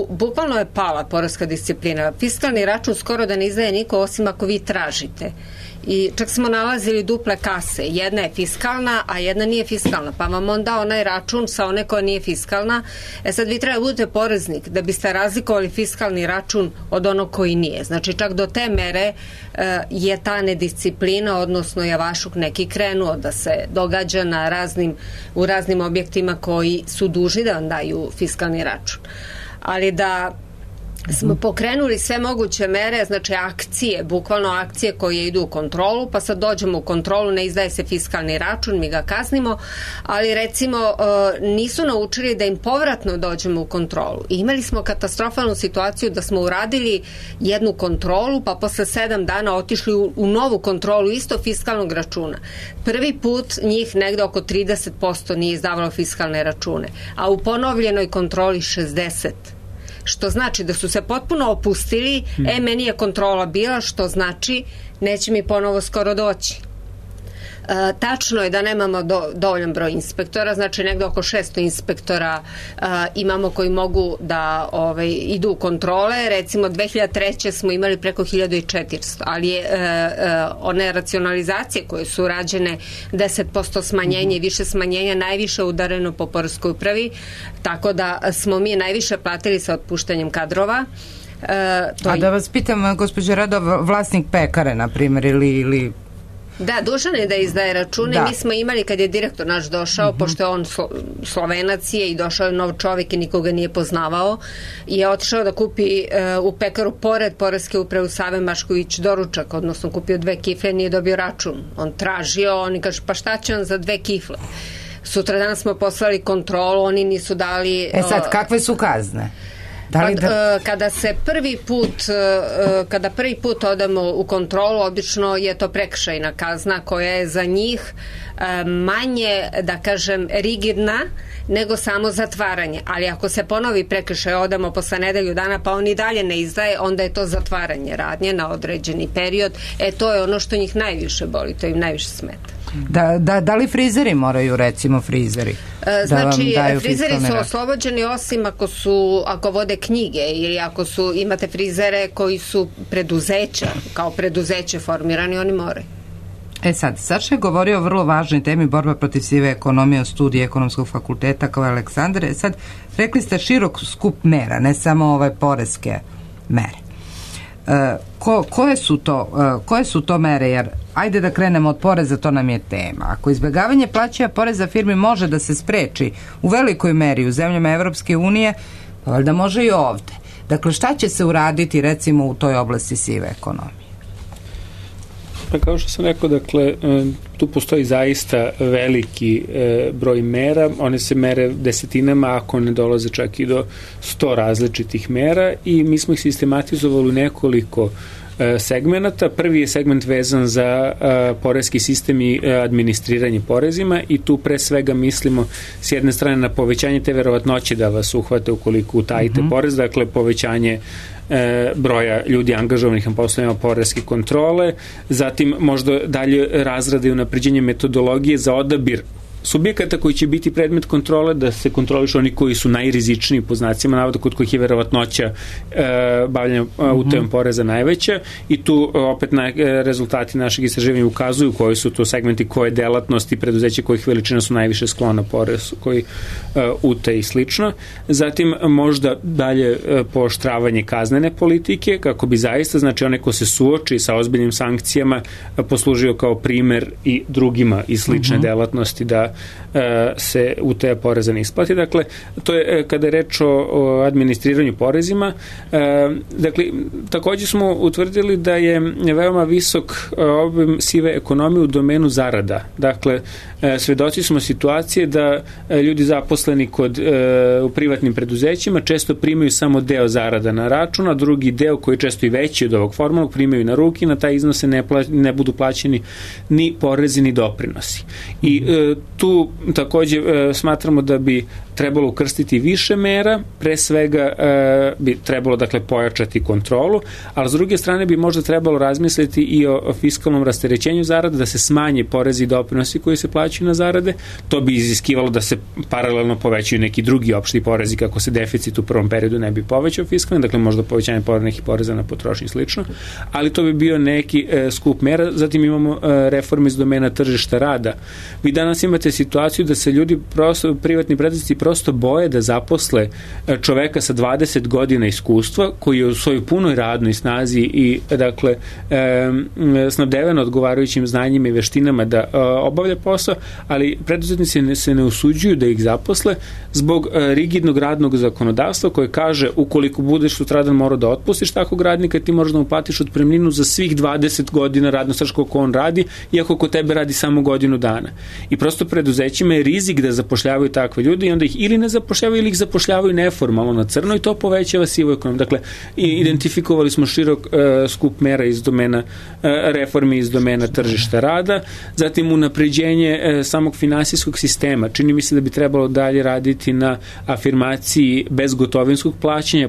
bukvalno je pala poreska disciplina. Fiskalni račun skoro da ne izdaje niko osim ako vi tražite. I čak smo nalazili duple kase. Jedna je fiskalna, a jedna nije fiskalna. Pa vam on da onaj račun sa one koja nije fiskalna. Sad vi treba da budete poreznik da biste razlikovali fiskalni račun od onog koji nije. Znači čak do te mere je ta nedisciplina, odnosno javašuk neki krenuo da se događa u raznim objektima koji su dužni da vam daju fiskalni račun. Ali da smo pokrenuli sve moguće mere, znači akcije, bukvalno akcije koje idu u kontrolu, pa sad dođemo u kontrolu, ne izdaje se fiskalni račun, mi ga kaznimo, ali recimo nisu naučili da im povratno dođemo u kontrolu. I imali smo katastrofalnu situaciju da smo uradili jednu kontrolu, pa posle 7 dana otišli u novu kontrolu isto fiskalnog računa. Prvi put njih negde oko 30% nije izdavalo fiskalne račune, a u ponovljenoj kontroli 60%. Što znači da su se potpuno opustili, meni je kontrola bila, što znači neće mi ponovo skoro doći. Tačno je da nemamo dovoljan broj inspektora, znači negde oko 600 inspektora imamo koji mogu da idu u kontrole. Recimo 2003. smo imali preko 1400, ali one racionalizacije koje su rađene 10% smanjenje i više smanjenja najviše udareno po poreskoj upravi, tako da smo mi najviše platili sa otpuštanjem kadrova. A da vas pitam, gospođo Rado, vlasnik pekare, na primjer, ili da, dužan je da izdaje račune. Mi smo imali kad je direktor naš došao, pošto je on Slovenac je i došao je nov čovjek i nikoga nije poznavao, i je otišao da kupi u pekaru pored poreske uprave u Save Mašković doručak, odnosno kupio 2 kifle, nije dobio račun. On tražio, oni kaže pa šta će on za 2 kifle? Sutradan smo poslali kontrolu, oni nisu dali... sad, kakve su kazne? Kada prvi put odemo u kontrolu, obično je to prekršajna kazna koja je za njih manje, da kažem, rigidna nego samo zatvaranje. Ali ako se ponovi prekršaj, odemo posle nedelju dana pa on i dalje ne izdaje, onda je to zatvaranje radnje na određeni period. To je ono što njih najviše boli, to im najviše smeta. Da li frizeri moraju, recimo frizeri? Znači, frizeri su oslobođeni osim ako vode knjige ili ako imate frizere koji su preduzeća, kao preduzeće formirani, oni moraju. Sad, Saša je govorio o vrlo važnoj temi, borba protiv sive ekonomije, o studiji Ekonomskog fakulteta kao Aleksandar. Sad, rekli ste širok skup mera, ne samo poreske mere. Koje su to mere, jer ajde da krenemo od poreza, to nam je tema. Ako izbjegavanje plaćanja poreza firmi može da se spreči u velikoj meri u zemljama Evropske unije, pa valjda može i ovde. Dakle, šta će se uraditi recimo u toj oblasti sive ekonomije? Pa kao što sam rekao, dakle, tu postoji zaista veliki broj mera, one se mere desetinama, ako ne dolaze čak i do 100 različitih mera, i mi smo ih sistematizovali u nekoliko segmenata. Prvi je segment vezan za poreski sistem i administriranje porezima, i tu pre svega mislimo s jedne strane na povećanje te verovatnoće da vas uhvate ukoliko utajite porez, dakle povećanje broja ljudi angažovanih na poslovima poreske kontrole, zatim možda dalje razrade i unapređenje metodologije za odabir subjekata koji će biti predmet kontrole, da se kontrolišu oni koji su najrizičniji, po znacima navoda, kod kojih je verovatnoća bavljanja utajom poreza najveća, i tu opet rezultati našeg istraživanja ukazuju koji su to segmenti, koje delatnosti preduzeća kojih veličina su najviše sklona porezu, koji utaje i slično. Zatim možda dalje pooštravanje kaznene politike, kako bi zaista, znači onaj ko se suoči sa ozbiljnim sankcijama poslužio kao primer i drugima iz slične delatnosti da se utaja poreza ne isplati. Dakle, to je kada je reč o administriranju porezima. Dakle, takođe smo utvrdili da je veoma visok obim sive ekonomije u domenu zarada. Dakle, svedoci smo situacije da ljudi zaposleni u privatnim preduzećima često primaju samo deo zarada na račun, a drugi deo, koji je često i veći od ovog formalnog, primaju na ruki, na taj iznose ne budu plaćeni ni porezi ni doprinosi. I tu takođe smatramo da bi trebalo ukrstiti više mera, pre svega bi trebalo dakle pojačati kontrolu, ali s druge strane bi možda trebalo razmisliti i o fiskalnom rasterećenju zarada, da se smanje porezi i doprinosi koji se plaćaju na zarade. To bi iziskivalo da se paralelno povećaju neki drugi opšti porezi kako se deficit u prvom periodu ne bi povećao fiskalno, dakle možda povećanje nekih poreza na potrošnju i slično, ali to bi bio neki skup mera. Zatim imamo reforme iz domena tržišta rada. Vi danas imate situaciju da se ljudi prosto, privatni preduzetnici prosto boje da zaposle čoveka sa 20 godina iskustva koji je u svojoj punoj radnoj snazi i dakle snabdeven odgovarajućim znanjima i veštinama da obavlja posao, ali preduzetnici se ne usuđuju da ih zaposle zbog rigidnog radnog zakonodavstva koje kaže ukoliko budeš sutradan morao da otpustiš takvog radnika, ti možeš da mu platiš otpremninu za svih 20 godina radno staža koliko on radi, iako kod tebe radi samo godinu dana. I prosto preduzećima je rizik da zapošljavaju takve ljude i onda ih ili ne zapošljavaju ili ih zapošljavaju neformalno na crno i to povećava sivu ekonomiju. Dakle, identifikovali smo širok skup mera iz domena reformi iz domena tržišta rada, zatim unapređenje samog finansijskog sistema. Čini mi se da bi trebalo dalje raditi na afirmaciji bezgotovinskog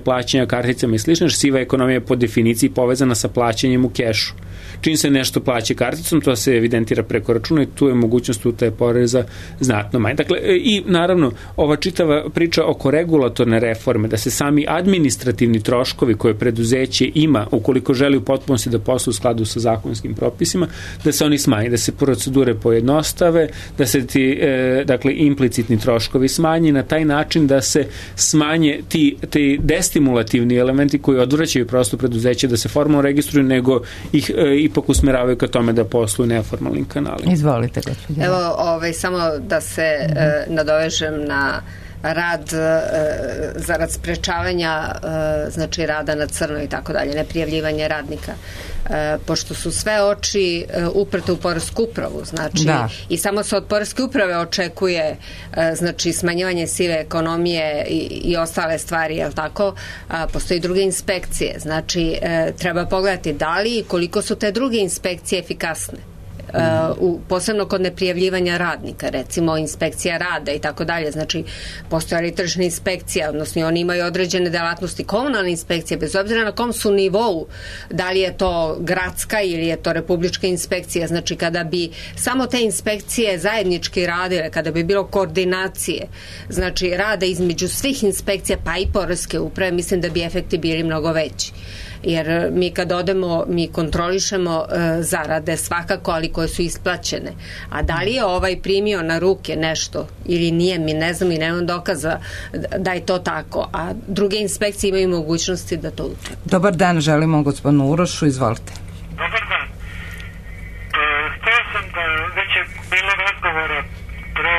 plaćanja karticama i slično, jer siva ekonomija je po definiciji povezana sa plaćanjem u kešu. Čim se nešto plaća karticom, to se evidentira preko računa i tu je mogućnost utaje poreza znatno manje. Dakle, i naravno, ova čitava priča oko regulatorne reforme, da se sami administrativni troškovi koje preduzeće ima, ukoliko želi u potpunosti da poslu u skladu sa zakonskim propisima, da se oni smanje, da se procedure pojednostave, da se ti, dakle, implicitni troškovi smanje, na taj način da se smanje ti destimulativni elementi koji odvraćaju prosto preduzeće da se formalno registruju, nego ih ipak usmeravaju ka tome da posluju neformalnim kanalima. Izvolite, gospođo. Evo, samo da se nadovežem na rad zarad sprečavanja znači rada na crno i tako dalje, neprijavljivanje radnika. Pošto su sve oči uprte u poresku upravu, znači i samo se od poreske uprave očekuje znači smanjivanje sive ekonomije i ostale stvari, jel tako? Postoji druge inspekcije, znači treba pogledati da li i koliko su te druge inspekcije efikasne. Posebno kod neprijavljivanja radnika, recimo inspekcija rada i tako dalje, znači postoja li tržišna inspekcija, odnosno oni imaju određene delatnosti, komunalne inspekcije, bez obzira na kom su nivou, da li je to gradska ili je to republička inspekcija, znači kada bi samo te inspekcije zajednički radile, kada bi bilo koordinacije, znači rada između svih inspekcija pa i poreske uprave, mislim da bi efekti bili mnogo veći. Jer mi kad odemo, mi kontrolišemo zarade svakako, ali koje su isplaćene. A da li je ovaj primio na ruke nešto ili nije, mi ne znam i nemam dokaza da je to tako. A druge inspekcije imaju mogućnosti da to utvrde. Dobar dan, želimo gospodinu Urošu, izvolite. Dobar dan. Htio sam da već je bilo razgovora pre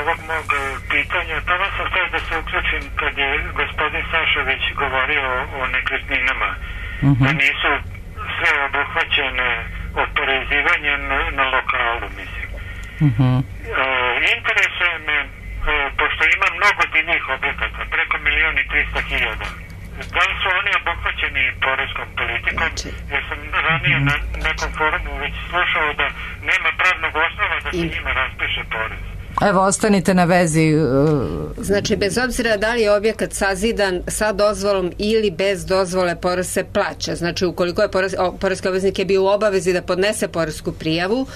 ovog mog pitanja, tada sam htio da se uključim kad je gospodin Sašović govorio o nekretninama. Da nisu sve obuhvaćene oporezivanjem na lokalu, mislim. Interesuje me, pošto ima mnogo divnih objekata, preko 1.300.000, da li su oni obuhvaćeni poreskom politikom, jer sam ranije na nekom forumu već slušao da nema pravnog osnova da se njima raspiše porez. Evo, ostanite na vezi. Znači, bez obzira da li je objekat sazidan sa dozvolom ili bez dozvole, porez se plaća. Znači, ukoliko je poreski obveznik je bio u obavezi da podnese poresku prijavu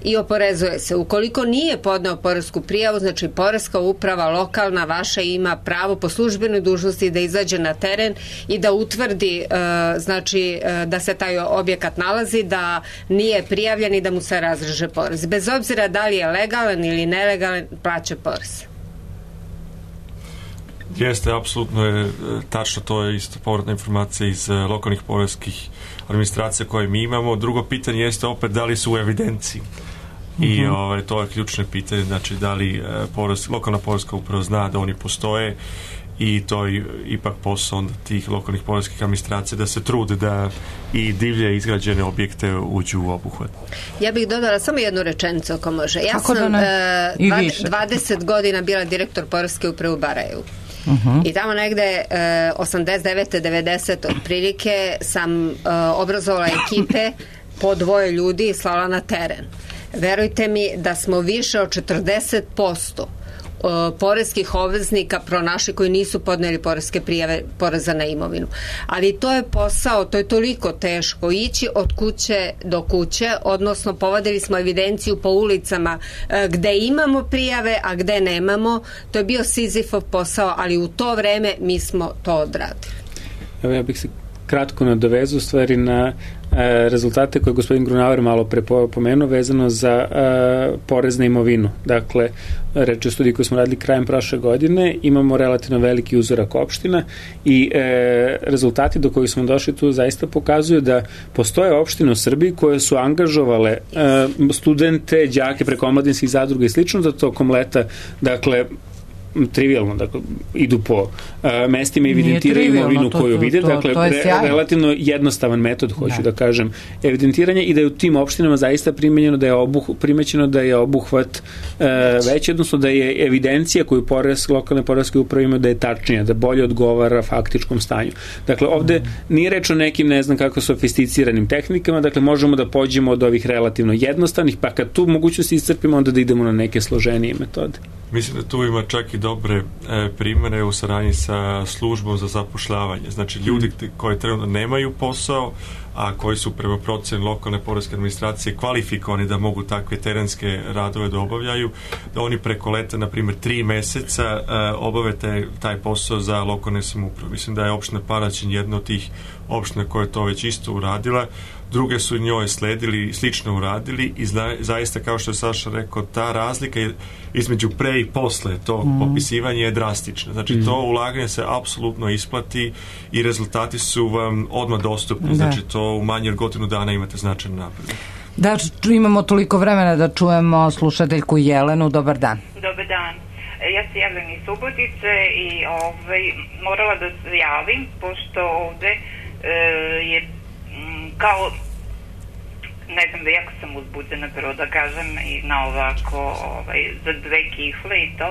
i oporezuje se. Ukoliko nije podneo poresku prijavu, znači poreska uprava lokalna vaša ima pravo po službenoj dužnosti da izađe na teren i da utvrdi znači da se taj objekat nalazi, da nije prijavljen i da mu se razreže porez. Bez obzira da li je legalan ili nelegalan, plaća porez. Jeste, apsolutno je tačno, to je isto povratna informacija iz lokalnih poreskih administracija koje mi imamo. Drugo pitanje jeste opet da li su u evidenciji. I to je ključno pitanje, znači da li lokalna poreska uprava zna da oni postoje i to je ipak posao onda tih lokalnih poreskih administracija da se trude da i divlje izgrađene objekte uđu u obuhvat. Ja bih dodala samo jednu rečenicu ako može. Ja sam 20 godina bila direktor poreske uprave u Barajevu. I tamo negde 89. 90. otprilike sam obrazovala ekipe po 2 ljudi i slala na teren. Verujte mi da smo više od 40% poreskih obveznika pronašli koji nisu podneli poreske prijave poreza na imovinu. Ali to je posao, to je toliko teško ići od kuće do kuće, odnosno povadili smo evidenciju po ulicama gde imamo prijave, a gde nemamo. To je bio Sizifov posao, ali u to vreme mi smo to odradili. Evo, ja bih se kratko nadovezao u stvari na rezultate koje je gospodin Grunauer malo prepomenuo vezano za porez na imovinu. Dakle, reč o studiji koju smo radili krajem prošle godine, imamo relativno veliki uzorak opština i rezultati do kojih smo došli tu zaista pokazuju da postoje opštine u Srbiji koje su angažovale studente, đake preko omladinskih zadruga i slično da tokom leta, dakle, trivialno, dakle, idu po mestima i evidentiraju imovinu koju vide, dakle, relativno jednostavan metod, hoću da kažem, evidentiranja i da je u tim opštinama zaista primećeno da je obuhvat veći, odnosno da je evidencija koju lokalne poreske uprave imaju da je tačnija, da bolje odgovara faktičkom stanju. Dakle, ovde nije reč o nekim, ne znam kako, sofisticiranim tehnikama, dakle, možemo da pođemo od ovih relativno jednostavnih, pa kad tu mogućnosti iscrpimo, onda da idemo na neke složenije metode. Mislim da tu ima čak i dobre primere u saradnji sa službom za zapošljavanje. Znači, ljudi koji trenutno nemaju posao, a koji su prema proceni lokalne poreske administracije kvalifikovani da mogu takve terenske radove da obavljaju, da oni preko leta, na primjer 3 meseca, obave taj posao za lokalne samouprave. Mislim da je opština Paraćin jedna od tih opština koja je to već isto uradila, druge su njoj sledili i slično uradili i zaista, kao što je Saša rekao, ta razlika između pre i posle tog popisivanja je drastična. Znači, to ulaganje se apsolutno isplati i rezultati su vam odmah dostupni. Znači, to u manje od godinu dana imate značajan napredak. Da, imamo toliko vremena da čujemo slušateljku Jelenu. Dobar dan. Dobar dan. Ja se javljam iz Subotice i morala da se javim, pošto ovde je kao, ne znam, da jako sam uzbuđena, prvo da kažem, i na ovako za 2 kifle i to.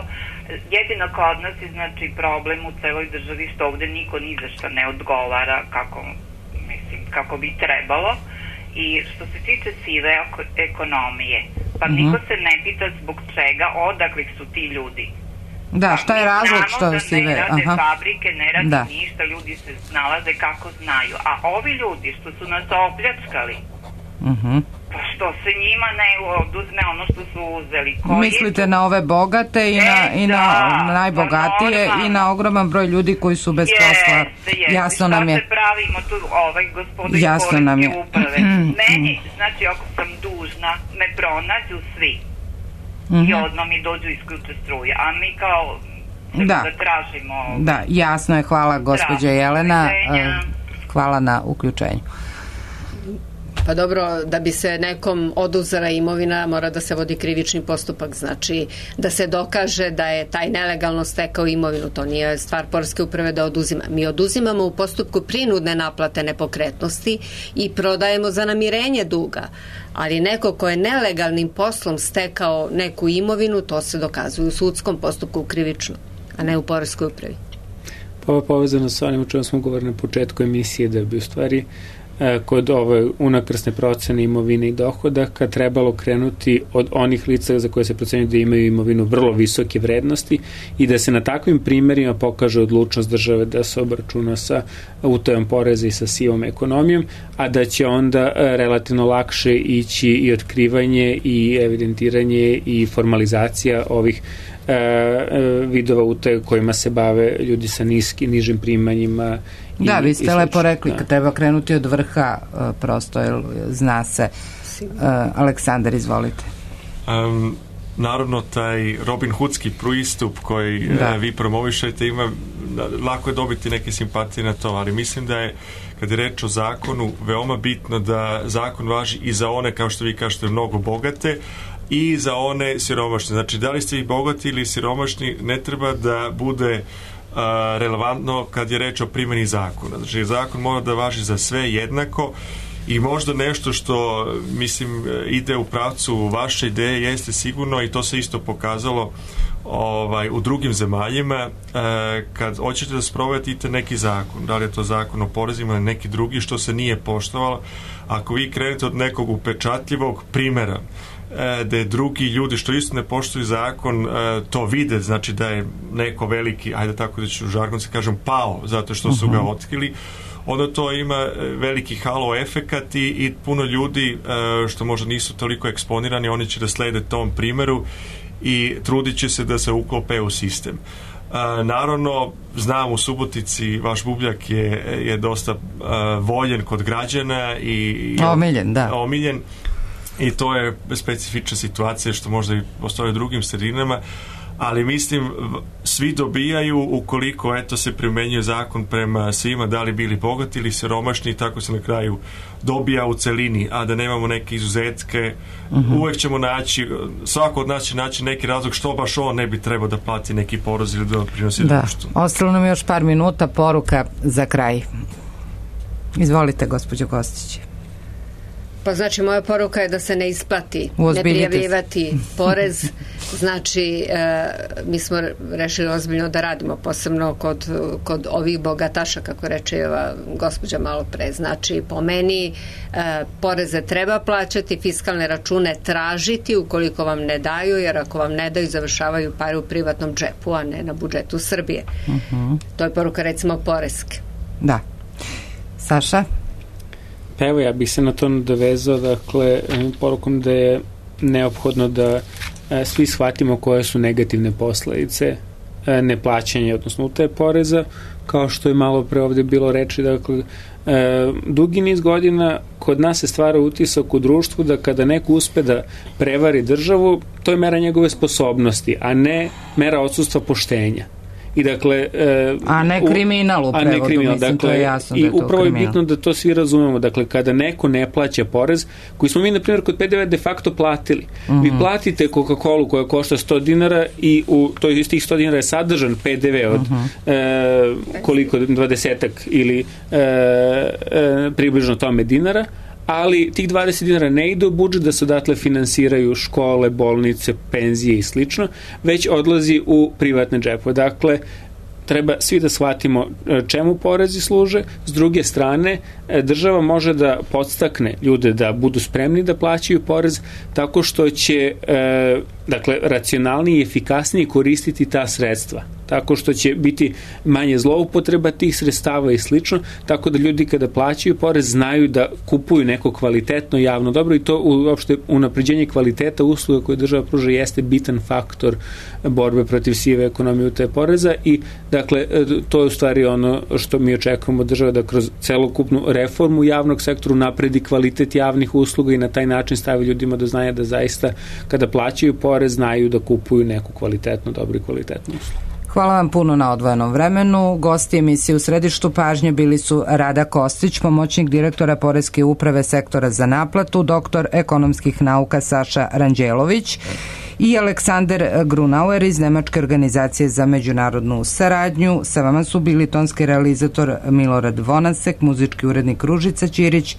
Jedino kod nas je, znači, problem u celoj državi što ovde niko ni za što ne odgovara kako bi trebalo. I što se tiče sive ekonomije, pa niko se ne pita zbog čega, odakle su ti ljudi. Da, šta je razlog što sive? Ne rade fabrike, ne rade ništa, ljudi se snalaze kako znaju. A ovi ljudi što su nas opljačkali, pa što se njima ne oduzme ono što su uzeli? Mislite na ove bogate i na najbogatije i na ogroman broj ljudi koji su bez posla. Jasno nam je. Šta se pravimo tu, gospodin poreske uprave? Meni, znači, ako sam dužna, me pronađu svi. I odmah mi dođu isključe struje. A mi kao da tražimo... Da, jasno je. Hvala, gospođa Jelena. Hvala na uključenju. Pa dobro, da bi se nekom oduzela imovina mora da se vodi krivični postupak, znači da se dokaže da je taj nelegalno stekao imovinu, to nije stvar poreske uprave da oduzima. Mi oduzimamo u postupku prinudne naplate nepokretnosti i prodajemo za namirenje duga, ali neko ko je nelegalnim poslom stekao neku imovinu, to se dokazuje u sudskom postupku krivično, a ne u poreskoj upravi. Pa ovo je povezano sa onim o čemu smo govorili na početku emisije, da bi u stvari kod ove unakrsne procene imovine i dohodaka trebalo krenuti od onih lica za koje se procenjuje da imaju imovinu vrlo visoke vrednosti i da se na takvim primjerima pokaže odlučnost države da se obračuna sa utajom poreza i sa sivom ekonomijom, a da će onda relativno lakše ići i otkrivanje i evidentiranje i formalizacija ovih vidova utaje kojima se bave ljudi sa nižim primanjima. Da, vi ste lepo rekli, treba krenuti od vrha, prosto, jer zna se. Aleksandar, izvolite. Naravno, taj Robin Hoodski pristup koji vi promovišete, lako je dobiti neke simpatije na to, ali mislim da je, kad je reč o zakonu, veoma bitno da zakon važi i za one, kao što vi kažete, mnogo bogate, i za one siromašne. Znači, da li ste vi bogati ili siromašni, ne treba da bude relevantno kad je reč o primjeni zakona. Znači, zakon mora da važi za sve jednako i možda nešto što, mislim, ide u pravcu vaše ideje jeste sigurno, i to se isto pokazalo u drugim zemaljima, kad hoćete da sprovedete neki zakon, da li je to zakon o porezima ili neki drugi što se nije poštovalo, ako vi krenete od nekog upečatljivog primjera da drugi ljudi što isto ne poštuju zakon to vide, znači da je neko veliki, ajde tako da ću žargon se kažem, pao zato što su ga otkrili, onda to ima veliki halo efekat i puno ljudi što možda nisu toliko eksponirani, oni će da slede tom primeru i trudit će se da se uklope u sistem. Naravno, znam u Subotici vaš Bubljak je dosta voljen kod građana i omiljen i to je specifična situacija što možda i postoje u drugim sredinama, ali mislim svi dobijaju ukoliko se primenjuje zakon prema svima, da li bili bogati ili siromašni, i tako se na kraju dobija u celini, a da nemamo neke izuzetke. Uvek ćemo naći, svako od nas će naći neki razlog što baš on ne bi trebao da plati neki porez ili da prinosi društvu. Ostalo nam još par minuta, poruka za kraj. Izvolite, gospođo Kostić. Pa znači, moja poruka je da se ne isplati ne prijavljivati porez. Znači, mi smo rešili ozbiljno da radimo, posebno kod ovih bogataša, kako reče ova gospođa malo pre. Znači, po meni poreze treba plaćati, fiskalne račune tražiti ukoliko vam ne daju, jer ako vam ne daju, završavaju pare u privatnom džepu, a ne na budžetu Srbije. To je poruka, recimo, poreske. Da. Saša? Pa evo, ja bih se na to nadovezao, dakle, porukom da je neophodno da svi shvatimo koje su negativne posledice neplaćanja, odnosno utaje poreza, kao što je malo pre ovde bilo reči, dakle, dugi niz godina kod nas se stvara utisak u društvu da kada neko uspe da prevari državu, to je mera njegove sposobnosti, a ne mera odsustva poštenja. I dakle, a ne kriminal u prevodu, mislim, dakle, to je jasno da je to kriminal. I upravo je bitno da to svi razumemo, dakle, kada neko ne plaća porez, koji smo mi, na primjer, kod PDV de facto platili. Vi platite Coca-Colu koja košta 100 dinara i iz tih 100 dinara je sadržan PDV od koliko, 20 ili približno tome dinara, ali tih 20 dinara ne ide u budžet da se odatle finansiraju škole, bolnice, penzije i slično, već odlazi u privatne džepove. Dakle, treba svi da shvatimo čemu porezi služe. S druge strane, država može da podstakne ljude da budu spremni da plaćaju porez tako što će racionalnije i efikasnije koristiti ta sredstva. Tako što će biti manje zloupotreba tih sredstava i slično, tako da ljudi kada plaćaju porez znaju da kupuju neko kvalitetno javno dobro i to uopšte unapređenje kvaliteta usluga koje država pruža jeste bitan faktor borbe protiv sive ekonomije utaje poreza i dakle to je u stvari ono što mi očekujemo država da kroz celokupnu reformu javnog sektora napredi kvalitet javnih usluga i na taj način stavi ljudima do znanja da zaista kada plaćaju porez znaju da kupuju neku kvalitetnu, dobru i kvalitetnu uslugu. Hvala vam puno na odvojenom vremenu. Gosti emisije U središtu pažnje bili su Rada Kostić, pomoćnik direktora Poreske uprave sektora za naplatu, doktor ekonomskih nauka Saša Ranđelović i Aleksander Grunauer iz Nemačke organizacije za međunarodnu saradnju. Sa vama su bili tonski realizator Milorad Vonasek, muzički urednik Ružica Ćirić,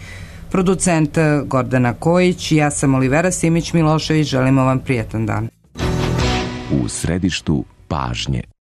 producent Gordana Kojić, ja sam Olivera Simić Milošević, želimo vam prijatan dan. U središtu pažnje.